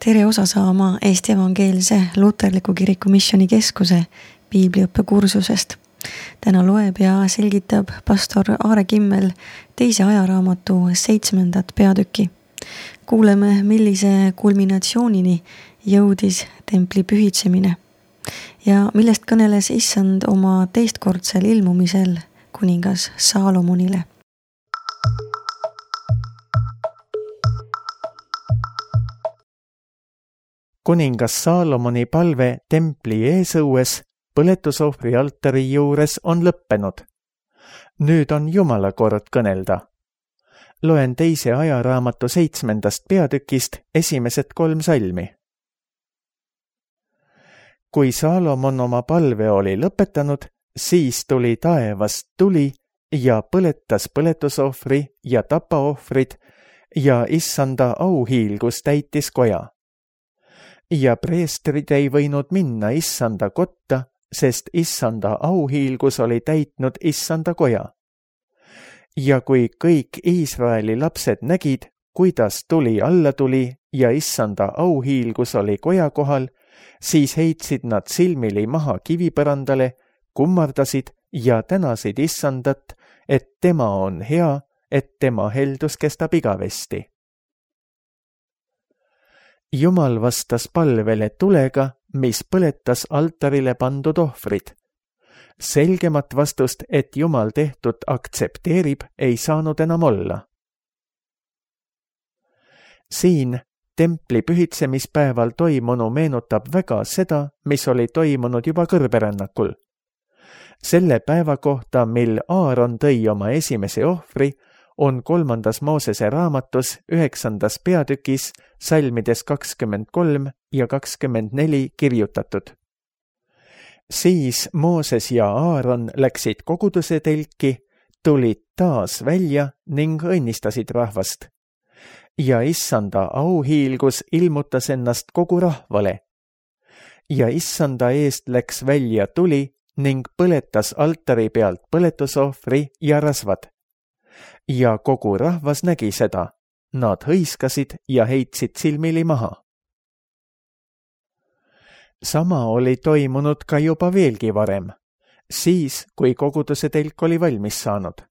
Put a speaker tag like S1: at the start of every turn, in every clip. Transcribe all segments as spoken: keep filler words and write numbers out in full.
S1: Tere osa saama Eesti Evangeelse Luterliku Kiriku Missioonikeskuse piibliõppekursusest. Täna loeb ja selgitab pastor Aare Kimmel teise ajaraamatu seitsmendat peatükki. Kuuleme, millise kulminatsioonini jõudis templi pühitsemine ja millest kõneles Issand oma teistkordsel ilmumisel kuningas Saalomonile.
S2: Kuningas Saalomoni palve templi eesõues põletusohvri altari juures on lõppenud. Nüüd on Jumala kord kõnelda. Loen teise ajaraamatu seitsmendast peatükist esimesed kolm salmi. Kui Saalomon oma palve oli lõpetanud, siis tuli taevast tuli ja põletas põletusohvri ja tapaohvrid ja Issanda auhiilgus täitis koja. Ja preestrid ei võinud minna Issanda kotta, sest Issanda auhiilgus oli täitnud Issanda koja. Ja kui kõik Iisraeli lapsed nägid, kuidas tuli alla tuli ja Issanda auhiilgus oli koja kohal, siis heitsid nad silmili maha kivipõrandale, kummardasid ja tänasid Issandat, et tema on hea, et tema heldus kestab igavesti. Jumal vastas palvele tulega, mis põletas altarile pandud ohvrid. Selgemat vastust, et Jumal tehtud aktsepteerib, ei saanud enam olla. Siin templi pühitsemispäeval toimunu meenutab väga seda, mis oli toimunud juba kõrberännakul. Selle päeva kohta, mil Aaron tõi oma esimese ohvri, on kolmandas Moosese raamatus üheksandas peatükis salmides kakskümmend kolm ja kakskümmend neli kirjutatud. Siis Mooses ja Aaron läksid koguduse telki, tulid taas välja ning õnnistasid rahvast. Ja Issanda auhiilgus ilmutas ennast kogu rahvale. Ja Issanda eest läks välja tuli ning põletas altari pealt põletusohvri ja rasvad. Ja kogu rahvas nägi seda. Nad hõiskasid ja heitsid silmili maha. Sama oli toimunud ka juba veelgi varem, siis kui koguduse telk oli valmis saanud.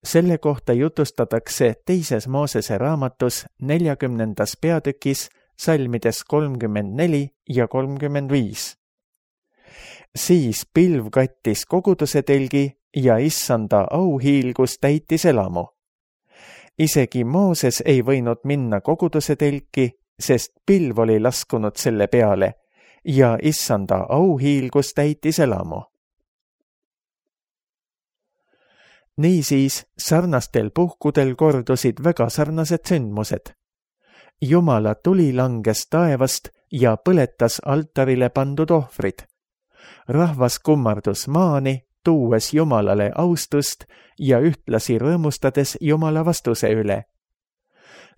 S2: Selle kohta jutustatakse teises Moosese raamatus neljakümnendas peatükis salmides kolmkümmend neli ja kolmkümmend viis. Siis pilv kattis koguduse telgi ja Issanda auhiilgus täitis elamu. Isegi Mooses ei võinud minna koguduse telki, sest pilv oli laskunud selle peale ja Issanda auhiilgus täitis elamu. Niisiis sarnastel puhkudel kordusid väga sarnased sündmused. Jumala tuli langes taevast ja põletas altarile pandud ohvrid. Rahvas kummardus maani, tuues Jumalale austust ja ühtlasi rõõmustades Jumala vastuse üle.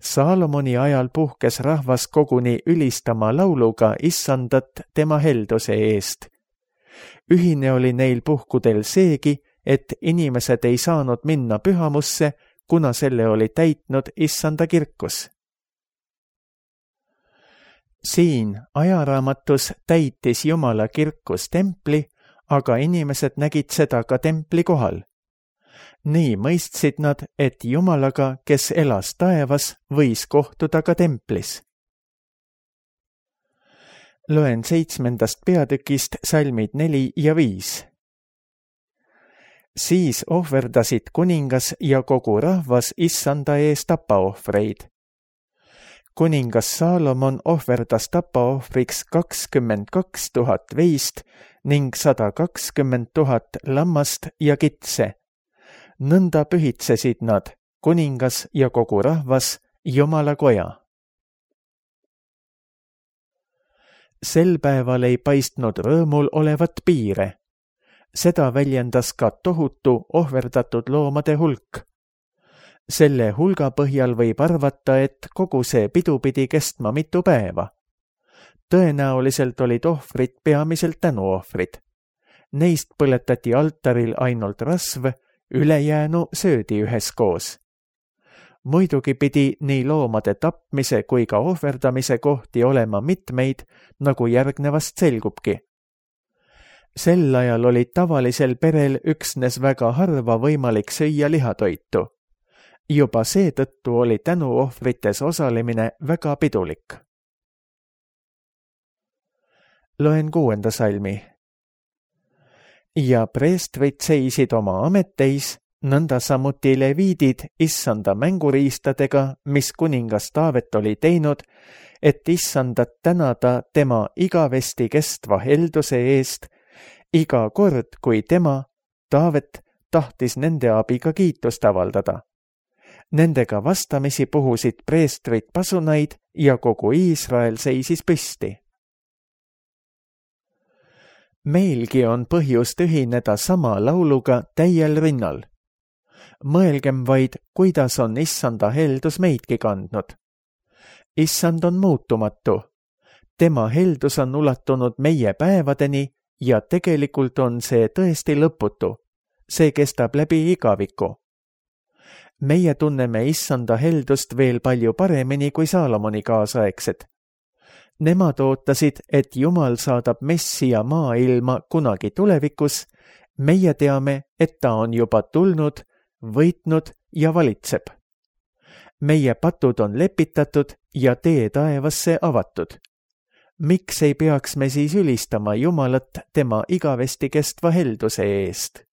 S2: Saalomoni ajal puhkes rahvas koguni ülistama lauluga Issandat tema helduse eest. Ühine oli neil puhkudel seegi, et inimesed ei saanud minna pühamusse, kuna selle oli täitnud Issanda kirkus. Siin ajaraamatus täitis Jumala kirkus templi, aga inimesed nägid seda ka templi kohal. Nii mõistsid nad, et Jumalaga, kes elas taevas, võis kohtuda ka templis. Loen seitsmendast peatükist salmid neli ja viis. Siis ohverdasid kuningas ja kogu rahvas Issanda ees tapaohvreid. Kuningas Saalomon ohverdas tapaohvriks kakskümmend kaks tuhat veist ning sada kakskümmend tuhat lammast ja kitse. Nõnda pühitsesid nad, kuningas ja kogu rahvas, Jumala koja. Sel päeval ei paistnud rõõmul olevat piire. Seda väljendas ka tohutu ohverdatud loomade hulk. Selle hulga põhjal võib arvata, et kogu see pidu pidi kestma mitu päeva. Tõenäoliselt olid ohvrid peamiselt tänuohvrid. Neist põletati altaril ainult rasv, ülejäänu söödi üheskoos. muidugi pidi nii loomade tapmise kui ka ohverdamise kohti olema mitmeid, nagu järgnevast selgubki. Sel ajal oli tavalisel perel üksnes väga harva võimalik süüa lihatoitu. Juba seetõttu oli tänuohvrites osalemine väga pidulik. Loen kuuenda salmi. Ja preestrid seisid oma ametteis, nõnda samuti leviidid issanda mänguriistadega, mis kuningas Taavet oli teinud, et issandat tänada tema igavesti kestva helduse eest, iga kord, kui tema, Taavet, tahtis nende abiga kiitust avaldada. Nendega vastamisi puhusid preestrid pasunaid ja kogu Iisrael seisis püsti. Meilgi on põhjust ühineda sama lauluga täiel rinnal. Mõelgem vaid, kuidas on issanda heldus meidki kandnud. Issand on muutumatu. Tema heldus on ulatunud meie päevadeni ja tegelikult on see tõesti lõputu. See kestab läbi igaviku. Meie tunneme issanda heldust veel palju paremini kui Saalomoni kaasaegsed. Nemad ootasid, et Jumal saadab Messia maailma kunagi tulevikus. Meie teame, et ta on juba tulnud, võitnud ja valitseb. Meie patud on lepitatud ja tee taevasse avatud. Miks ei peaks me siis ülistama Jumalat tema igavesti kestva helduse eest?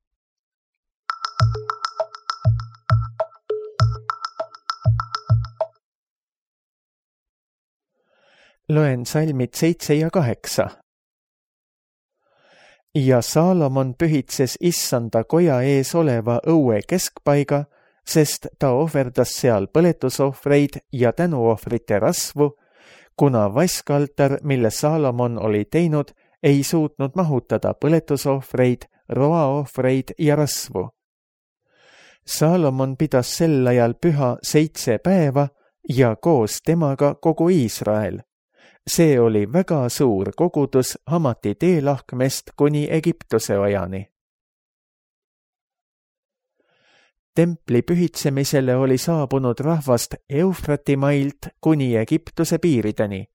S2: Loen salmid seitse ja kaheksa. Ja Saalomon pühitses issanda koja ees oleva õue keskpaiga, sest ta ohverdas seal põletusohvreid ja tänuohvrite rasvu, kuna vaskaltar, mille Saalomon oli teinud, ei suutnud mahutada põletusohvreid, roaohvreid ja rasvu. Saalomon pidas sel ajal püha seitse päeva ja koos temaga kogu Iisrael. See oli väga suur kogudus Hamati teelahkmest kuni Egiptuse ojani. Templi pühitsemisele oli saabunud rahvast Eufrati mailt kuni Egiptuse piirideni.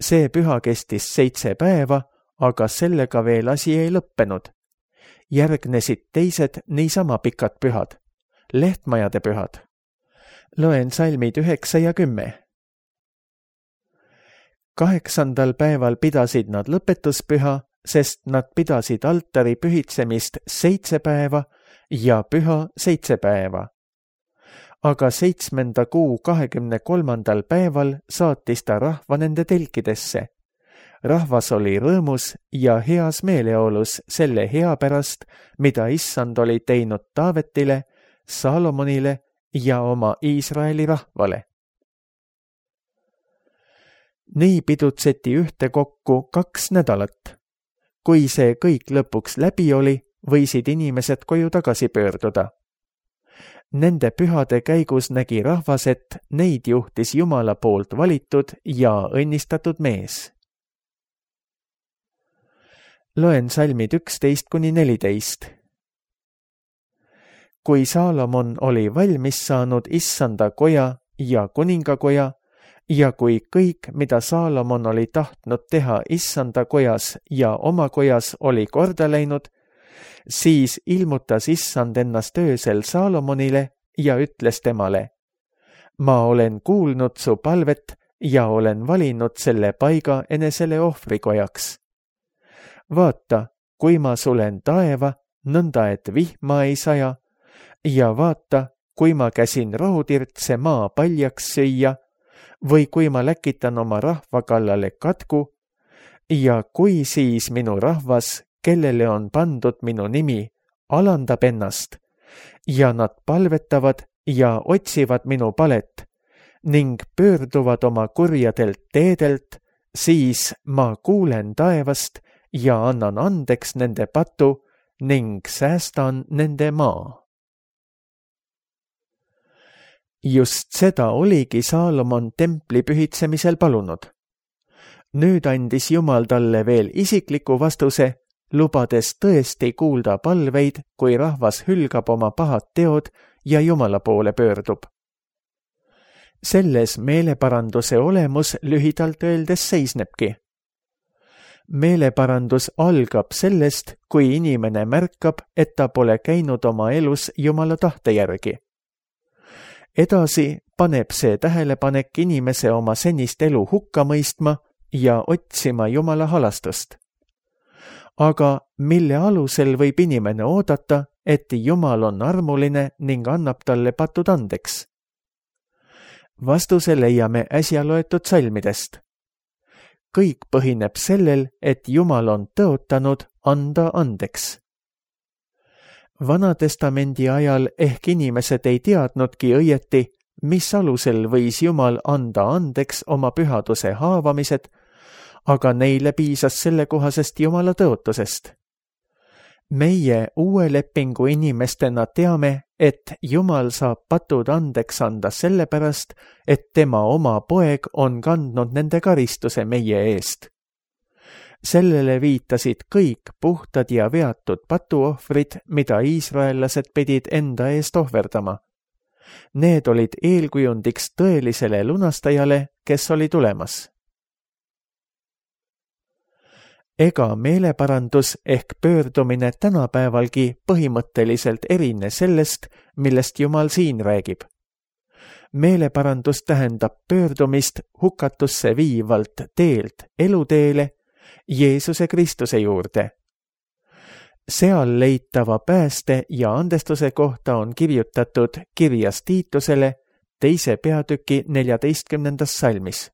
S2: See püha kestis seitse päeva, aga sellega veel asi ei lõppenud. Järgnesid teised niisama pikad pühad, lehtmajade pühad. Loen salmid üheksa ja kümme. Kaheksandal päeval pidasid nad lõpetuspüha, sest nad pidasid altari pühitsemist seitse päeva ja püha seitse päeva. Aga seitsmenda kuu kahekümne kolmandal päeval saatis ta rahva nende telkidesse. Rahvas oli rõõmus ja heas meeleolus selle hea pärast, mida issand oli teinud Taavetile, Saalomonile ja oma Iisraeli rahvale. Nii pidutseti ühtekokku kaks nädalat. Kui see kõik lõpuks läbi oli, võisid inimesed koju tagasi pöörduda. Nende pühade käigus nägi rahvas, et neid juhtis Jumala poolt valitud ja õnnistatud mees. Loen salmid üksteist kuni neliteist. Kui Saalomon oli valmis saanud issanda koja ja kuningakoja, ja kui kõik, mida Saalomon oli tahtnud teha issanda kojas ja oma kojas oli korda läinud, siis ilmutas issand ennast öösel Saalomonile ja ütles temale: Ma olen kuulnud su palvet ja olen valinud selle paiga enesele ohvrikojaks. Vaata, kui ma sulen taeva, nõnda et vihma ei saja, ja vaata, kui ma käsin rohutirtse maa paljaks süüa, või kui ma läkitan oma rahva kallale katku, ja kui siis minu rahvas, kellele on pandud minu nimi, alandab ennast, ja nad palvetavad ja otsivad minu palet, ning pöörduvad oma kurjadelt teedelt, siis ma kuulen taevast ja annan andeks nende patu ning säästan nende maa. Just seda oligi Saalomon templi pühitsemisel palunud. Nüüd andis Jumal talle veel isikliku vastuse, lubades tõesti kuulda palveid, kui rahvas hülgab oma pahad teod ja Jumala poole pöördub. selles meeleparanduse olemus lühidalt öeldes seisnebki. Meeleparandus algab sellest, kui inimene märkab, et ta pole käinud oma elus Jumala tahte järgi. Edasi paneb see tähelepanek inimese oma senist elu hukka mõistma ja otsima Jumala halastust. Aga mille alusel võib inimene oodata, et Jumal on armuline ning annab talle patud andeks? Vastuse leiame äsja loetud salmidest. Kõik põhineb sellel, et Jumal on tõotanud anda andeks. Vanatestamendi ajal ehk inimesed ei teadnudki õieti, mis alusel võis Jumal anda andeks oma pühaduse haavamised, aga neile piisas sellekohasest Jumala tõotusest. Meie uue lepingu inimestena teame, et Jumal saab patud andeks anda sellepärast, et tema oma poeg on kandnud nende karistuse meie eest. Sellele viitasid kõik puhtad ja veatud patuohvrid, mida iisraellased pidid enda eest ohverdama. Need olid eelkujundiks tõelisele lunastajale, kes oli tulemas. Ega meeleparandus ehk pöördumine tänapäevalgi põhimõtteliselt erine sellest, millest Jumal siin räägib. Meeleparandus tähendab pöördumist hukatusse viivalt teelt eluteele, Jeesuse Kristuse juurde. Seal leitava pääste ja andestuse kohta on kirjutatud kirjas Tiitusele teise peatüki neljateistkümnendas salmis.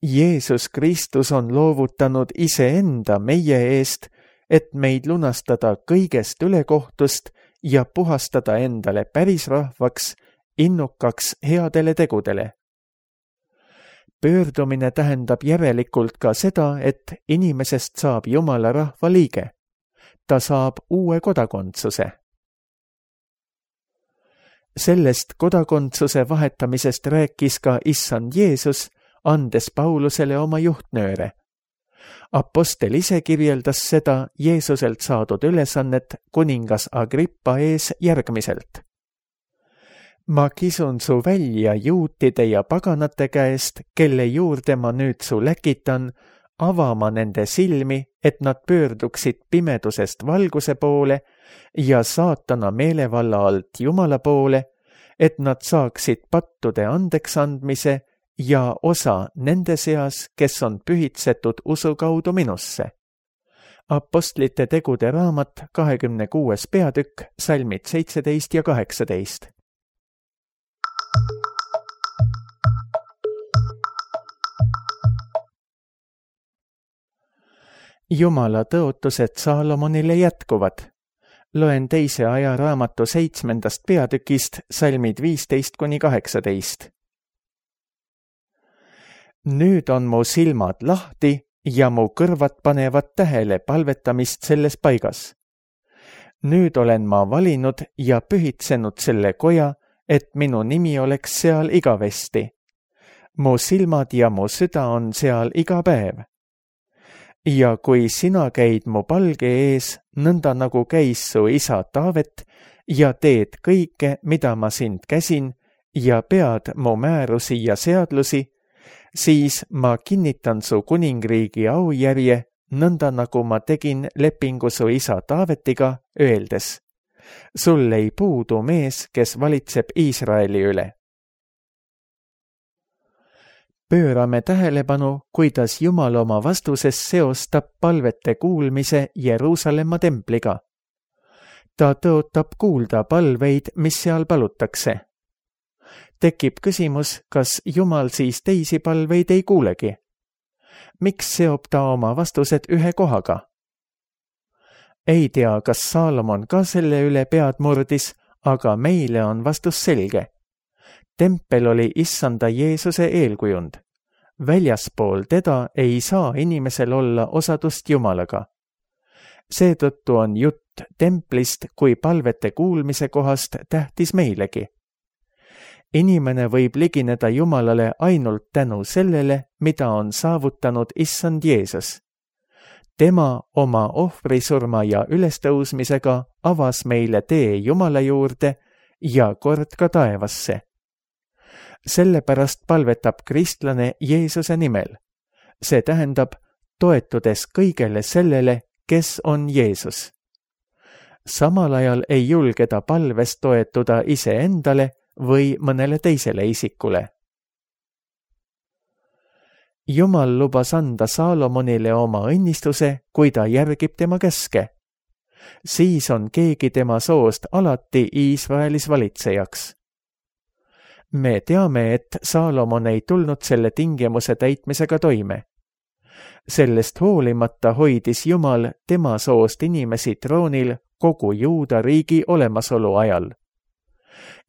S2: Jeesus Kristus on loovutanud iseenda meie eest, et meid lunastada kõigest ülekohtust ja puhastada endale päris rahvaks, innukaks headele tegudele. Pöördumine tähendab järelikult ka seda, et inimesest saab Jumala rahva liige. Ta saab uue kodakondsuse. Sellest kodakondsuse vahetamisest rääkis ka issand Jeesus, andes Paulusele oma juhtnööre. Apostel ise kirjeldas seda Jeesuselt saadud ülesannet kuningas Agrippa ees järgmiselt. Ma kisun su välja juutide ja paganate käest, kelle juurde ma nüüd su läkitan, avama nende silmi, et nad pöörduksid pimedusest valguse poole ja saatana meelevalla alt Jumala poole, et nad saaksid pattude andeks andmise ja osa nende seas, kes on pühitsetud usu kaudu minusse. Apostlite tegude raamat kahekümne kuues peatükk, salmid seitseteist ja kaheksateist. Jumala tõotused Saalomonile jätkuvad. Loen teise ajaraamatu seitsmendast peatükist, salmid viisteist kuni kaheksateist. Nüüd on mu silmad lahti ja mu kõrvad panevad tähele palvetamist selles paigas. Nüüd olen ma valinud ja pühitsenud selle koja, et minu nimi oleks seal igavesti. Mu silmad ja mu süda on seal iga päev. Ja kui sina käid mu palge ees, nõnda nagu käis su isa Taavet, ja teed kõike, mida ma sind käsin, ja pead mu määrusi ja seadlusi, siis ma kinnitan su kuningriigi aujärje, nõnda nagu ma tegin lepingu su isa Taavetiga, öeldes: sul ei puudu mees, kes valitseb Iisraeli üle. Pöörame tähelepanu, kuidas Jumal oma vastuses seostab palvete kuulmise Jeruusalemma templiga. Ta tõotab kuulda palveid, mis seal palutakse. Tekib küsimus, kas Jumal siis teisi palveid ei kuulegi? Miks seob ta oma vastused ühe kohaga? Ei tea, kas Saalomon ka selle üle pead murdis, aga meile on vastus selge. Tempel oli issanda Jeesuse eelkujund. Väljaspool teda ei saa inimesel olla osadust Jumalaga. Seetõttu on jutt templist kui palvete kuulmise kohast tähtis meilegi. Inimene võib ligineda Jumalale ainult tänu sellele, mida on saavutanud issand Jeesus. Tema oma ohvrisurma ja ülestõusmisega avas meile tee Jumala juurde ja kord ka taevasse. sellepärast palvetab kristlane Jeesuse nimel. See tähendab, toetudes kõigele sellele, kes on Jeesus. Samal ajal ei julge ta palves toetuda iseendale või mõnele teisele isikule. Jumal lubas anda Saalomonile oma õnnistuse, kui ta järgib tema käske. Siis on keegi tema soost alati Iisraelis valitsejaks. Me teame, et Saalomon ei tulnud selle tingimuse täitmisega toime. Sellest hoolimata hoidis Jumal tema soost inimesi troonil kogu Juuda riigi olemasolu ajal.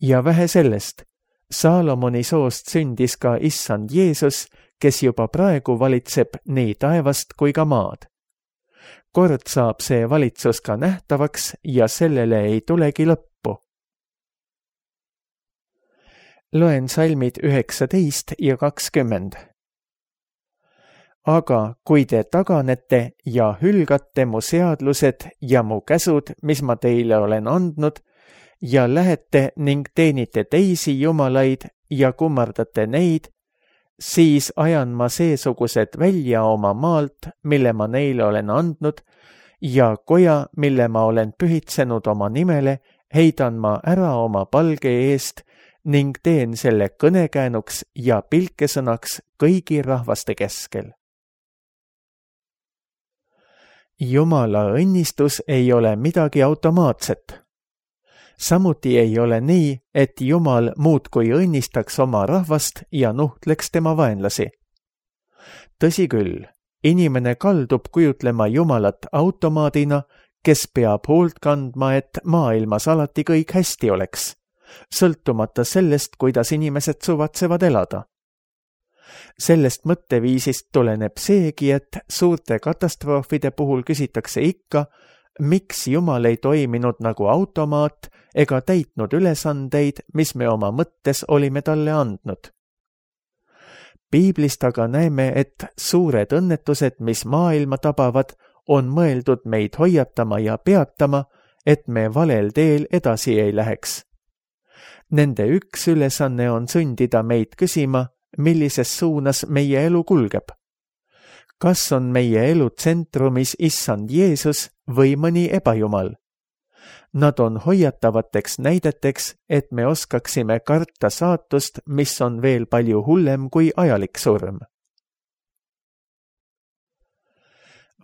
S2: Ja vähe sellest, Saalomoni soost sündis ka issand Jeesus, kes juba praegu valitseb nii taevast kui ka maad. Kord saab see valitsus ka nähtavaks ja sellele ei tulegi lõppu. Loen salmid üheksateist ja kakskümmend. Aga kui te taganete ja hülgate mu seadlused ja mu käsud, mis ma teile olen andnud, ja lähete ning teenite teisi jumalaid ja kummardate neid, siis ajan ma seesugused välja oma maalt, mille ma neile olen andnud, ja koja, mille ma olen pühitsenud oma nimele, heidan ma ära oma palge eest ning teen selle kõnekäänuks ja pilkesõnaks kõigi rahvaste keskel. Jumala õnnistus ei ole midagi automaatset. Samuti ei ole nii, et Jumal muudkui õnnistaks oma rahvast ja nuhtleks tema vaenlasi. Tõsi küll, inimene kaldub kujutlema Jumalat automaadina, kes peab hoolt kandma, et maailmas alati kõik hästi oleks, sõltumata sellest, kuidas inimesed suvatsevad elada. Sellest mõtteviisist tuleneb seegi, et suurte katastroofide puhul küsitakse ikka, miks Jumal ei toiminud nagu automaat ega täitnud ülesandeid, mis me oma mõttes olime talle andnud. Piiblist aga näeme, et suured õnnetused, mis maailma tabavad, on mõeldud meid hoiatama ja peatama, et me valel teel edasi ei läheks. Nende üks ülesanne on sundida meid küsima, millises suunas meie elu kulgeb. Kas on meie elu tsentrumis issand Jeesus või mõni ebajumal? Nad on hoiatavateks näideteks, et me oskaksime karta saatust, mis on veel palju hullem kui ajalik surm.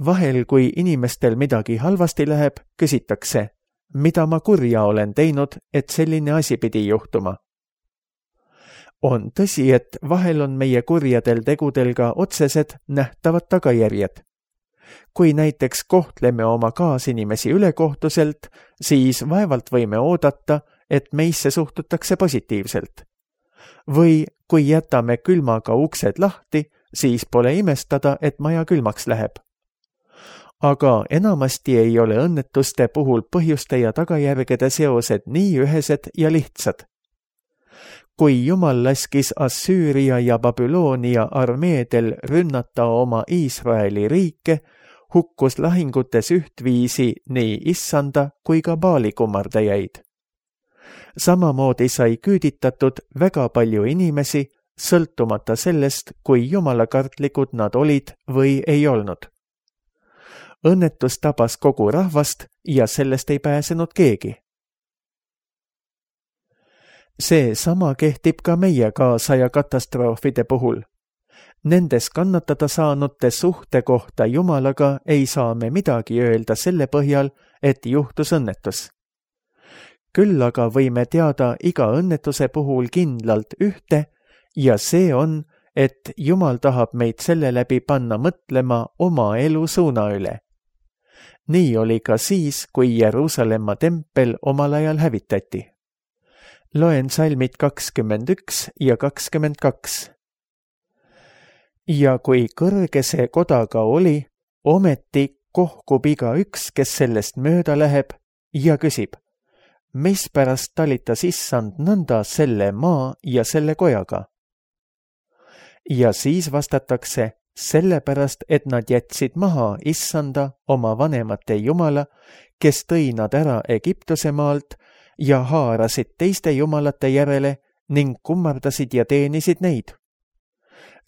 S2: Vahel, kui inimestel midagi halvasti läheb, küsitakse, mida ma kurja olen teinud, et selline asi pidi juhtuma. On tõsi, et vahel on meie kurjadel tegudel ka otsesed nähtavad tagajärjed. Kui näiteks kohtleme oma kaasinimesi ülekohtuselt, siis vaevalt võime oodata, et meisse suhtutakse positiivselt. Või kui jätame külmaga uksed lahti, siis pole imestada, et maja külmaks läheb. Aga enamasti ei ole õnnetuste puhul põhjuste ja tagajärgede seosed nii ühesed ja lihtsad. Kui Jumal laskis Assüüria ja Babyloonia armeedel rünnata oma Iisraeli riike, hukkus lahingutes ühtviisi nii issanda kui ka Baali kummardajaid. Samamoodi sai küüditatud väga palju inimesi, sõltumata sellest, kui jumalakartlikud nad olid või ei olnud. Õnnetus tabas kogu rahvast ja sellest ei pääsenud keegi. See sama kehtib ka meie kaasaja katastroofide puhul. Nendes kannatada saanute suhte kohta Jumalaga ei saa me midagi öelda selle põhjal, et juhtus õnnetus. Küll aga võime teada iga õnnetuse puhul kindlalt ühte ja see on, et Jumal tahab meid selle läbi panna mõtlema oma elu suuna üle. Nii oli ka siis, kui Jeruusalemma tempel omal ajal hävitati. Loen salmid kakskümmend üks ja kakskümmend kaks. Ja kui kõrge see koda ka oli, ometi kohkub iga üks, kes sellest mööda läheb ja küsib, mispärast talitas issand nõnda selle maa ja selle kojaga? Ja siis vastatakse, sellepärast, et nad jätsid maha issanda oma vanemate jumala, kes tõi nad ära Egiptuse maalt ja haarasid teiste jumalate järele ning kummardasid ja teenisid neid.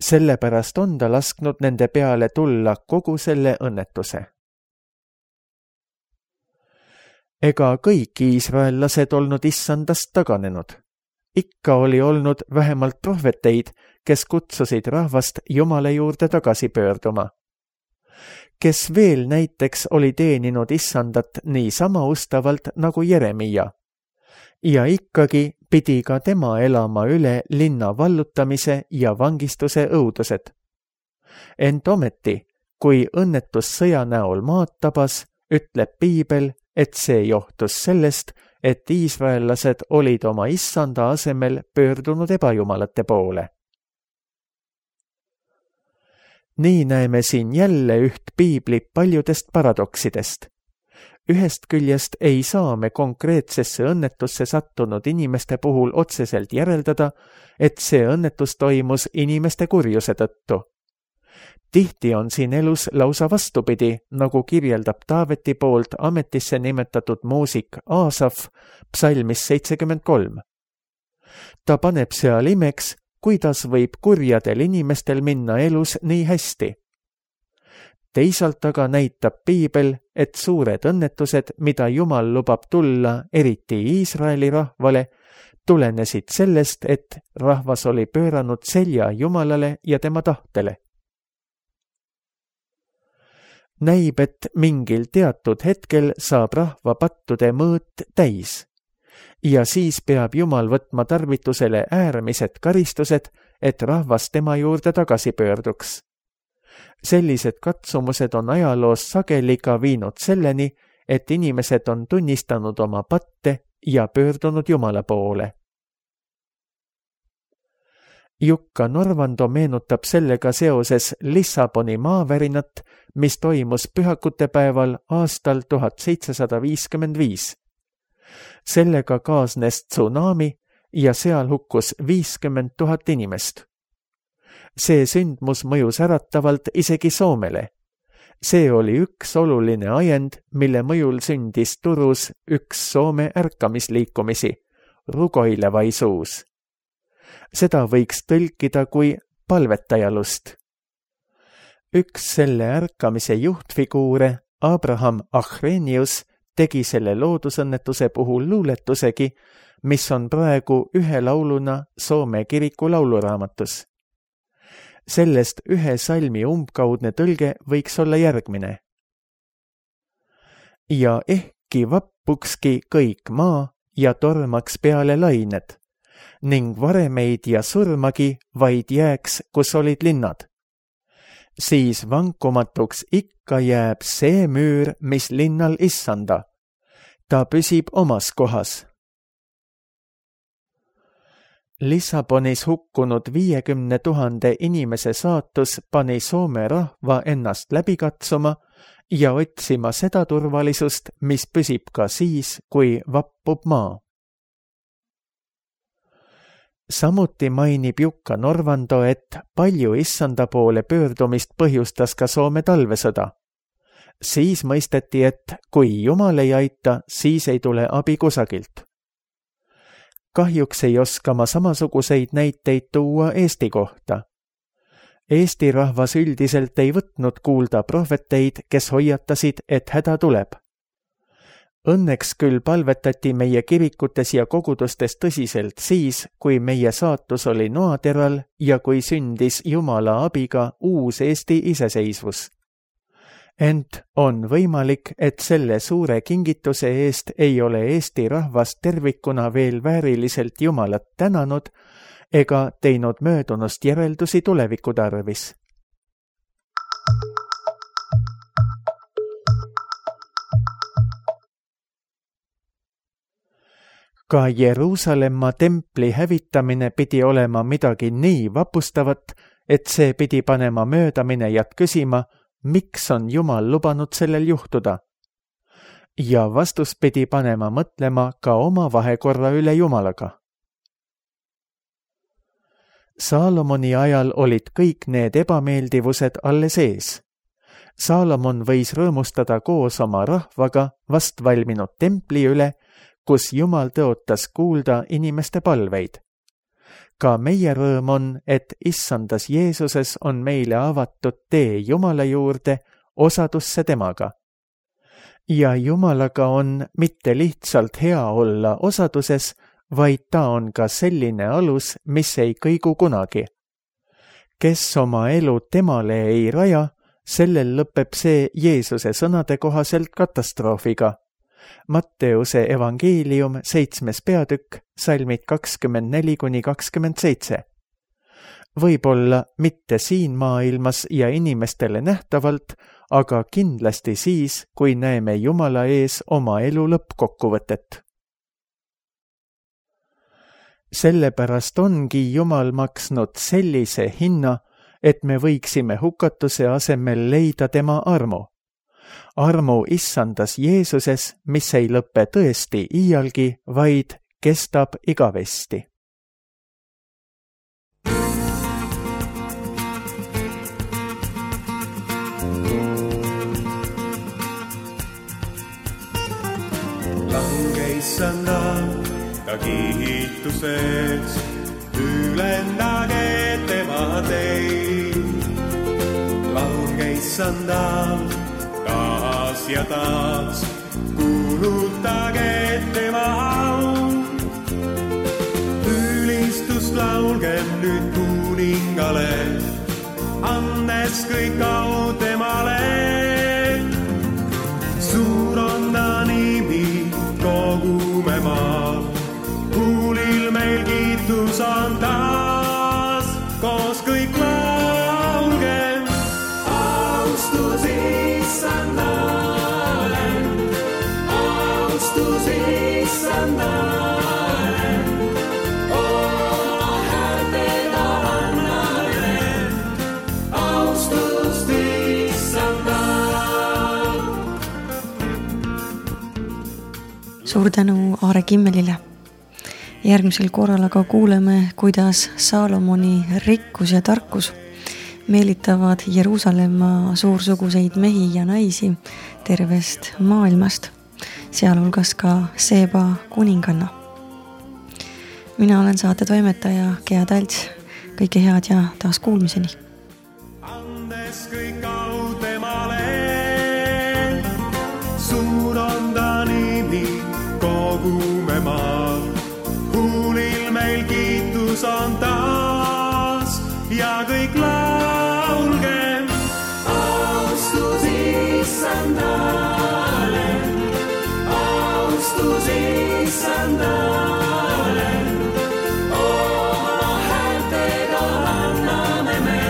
S2: Sellepärast on ta lasknud nende peale tulla kogu selle õnnetuse. Ega kõik iisraellased olnud issandast taganenud. Ikka oli olnud vähemalt prohveteid, kes kutsusid rahvast Jumala juurde tagasi pöörduma. Kes veel näiteks oli teeninud issandat nii sama ustavalt nagu Jeremia. Ja ikkagi pidi ka tema elama üle linna vallutamise ja vangistuse õudused. Ent ometi, kui õnnetus sõja näol maad tabas, ütleb piibel, et see johtus sellest, et iisraellased olid oma issanda asemel pöördunud ebajumalate poole. Nii näeme siin jälle üht piibli paljudest paradoksidest. Ühest küljest ei saa me konkreetsesse õnnetusse sattunud inimeste puhul otseselt järeldada, et see õnnetus toimus inimeste kurjuse tõttu. Tihti on siin elus lausa vastupidi, nagu kirjeldab Taaveti poolt ametisse nimetatud muusik Aasaf psalmis seitsekümmend kolm. Ta paneb seal imeks, kuidas võib kurjadel inimestel minna elus nii hästi. Teisalt aga näitab piibel, et suured õnnetused, mida Jumal lubab tulla, eriti Iisraeli rahvale, tulenesid sellest, et rahvas oli pööranud selja Jumalale ja tema tahtele. Näib, et mingil teatud hetkel saab rahva pattude mõõt täis. Ja siis peab Jumal võtma tarvitusele äärmised karistused, et rahvas tema juurde tagasi pöörduks. Sellised katsumused on ajaloos sageli ka viinud selleni, et inimesed on tunnistanud oma patte ja pöördunud Jumala poole. Jukka Norvando meenutab sellega seoses Lissaboni maavärinat, mis toimus pühakute päeval aastal tuhat seitsesada viiskümmend viis. Sellega kaasnes tsunami ja seal hukkus viiskümmend tuhat inimest. See sündmus mõjus äratavalt isegi Soomele. See oli üks oluline ajend, mille mõjul sündis Turus üks Soome ärkamisliikumisi, rugoilevaisuus. Seda võiks tõlkida kui palvetajalust. Üks selle ärkamise juhtfiguure, Abraham Achrenius, tegi selle loodusõnnetuse puhul luuletusegi, mis on praegu ühe lauluna Soome kiriku lauluraamatus. Sellest ühe salmi umbkaudne tõlge võiks olla järgmine. Ja ehkki vappukski kõik maa ja tormaks peale lained, ning varemeid ja surmagi vaid jääks, kus olid linnad. Siis vankumatuks ikka jääb see müür, mis linnal issanda. Ta püsib omas kohas. Lissabonis hukkunud viiekümne tuhande inimese saatus pani Soome rahva ennast läbi katsuma ja otsima seda turvalisust, mis püsib ka siis, kui vappub maa. Samuti mainib Jukka Norvando, et palju issanda poole pöördumist põhjustas ka Soome talvesõda. Siis mõisteti, et kui Jumal ei aita, siis ei tule abi kusagilt. Kahjuks ei oska ma samasuguseid näiteid tuua Eesti kohta. Eesti rahvas üldiselt ei võtnud kuulda prohveteid, kes hoiatasid, et häda tuleb. Õnneks küll palvetati meie kirikutes ja kogudustes tõsiselt siis, kui meie saatus oli noateral ja kui sündis Jumala abiga uus Eesti iseseisvus. Ent on võimalik, et selle suure kingituse eest ei ole Eesti rahvas tervikuna veel vääriliselt Jumalat tänanud ega teinud möödunust järeldusi tuleviku tarvis. Ka Jeruusalemma templi hävitamine pidi olema midagi nii vapustavat, et see pidi panema möödaminejat küsima, miks on Jumal lubanud sellel juhtuda. Ja vastus pidi panema mõtlema ka oma vahekorra üle Jumalaga. Saalomoni ajal olid kõik need ebameeldivused alles ees. Saalomon võis rõõmustada koos oma rahvaga vast valminud templi üle, kus Jumal tõotas kuulda inimeste palveid. ka meie rõõm on, et issandas Jeesuses on meile avatud tee Jumala juurde osadusse temaga. Ja Jumalaga on mitte lihtsalt hea olla osaduses, vaid ta on ka selline alus, mis ei kõigu kunagi. Kes oma elu temale ei raja, sellel lõpeb see Jeesuse sõnade kohaselt katastroofiga. Matteuse evangeelium seitsmes peatükk, salmid kakskümmend neli kuni kakskümmend seitse. Võib-olla mitte siin maailmas ja inimestele nähtavalt, aga kindlasti siis, kui näeme Jumala ees oma elu lõppkokkuvõtet. Sellepärast ongi Jumal maksnud sellise hinna, et me võiksime hukatuse asemel leida tema armu. Armu issandas Jeesuses, mis ei lõppe tõesti iialgi, vaid kestab igavesti.
S3: Lange issandal, ta kiituseks, ülendage tema teid. Lange issandal, taas ja taas, kuulutage tema au. Ülistust laulgem nüüd kuningale, andes kõik au temale. Suur on ta nimi kogume maal, kuulil meil kiitus on taas, koos kõik laulgem. Austus issandale, austus issandale, oma häältega annale, austust issandale.
S1: Suur tänu Aare Kimmelile. Järgmisel korral aga kuuleme, kuidas Saalomoni rikkus ja tarkus meelitavad Jeruusalemma suursuguseid mehi ja naisi tervest maailmast, sealhulgas ka Seeba kuninganna. Mina olen saate toimetaja Gea Talts. Kõike head ja taas kuulmiseni.
S3: Andes kõik au temale, suur on ta nimi kogume maal, kuulil meil kiitus on taas ja kõik laulgem. Austus issandale, austus issandale, oma häältega anname me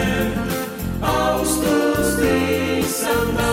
S3: austust issandale.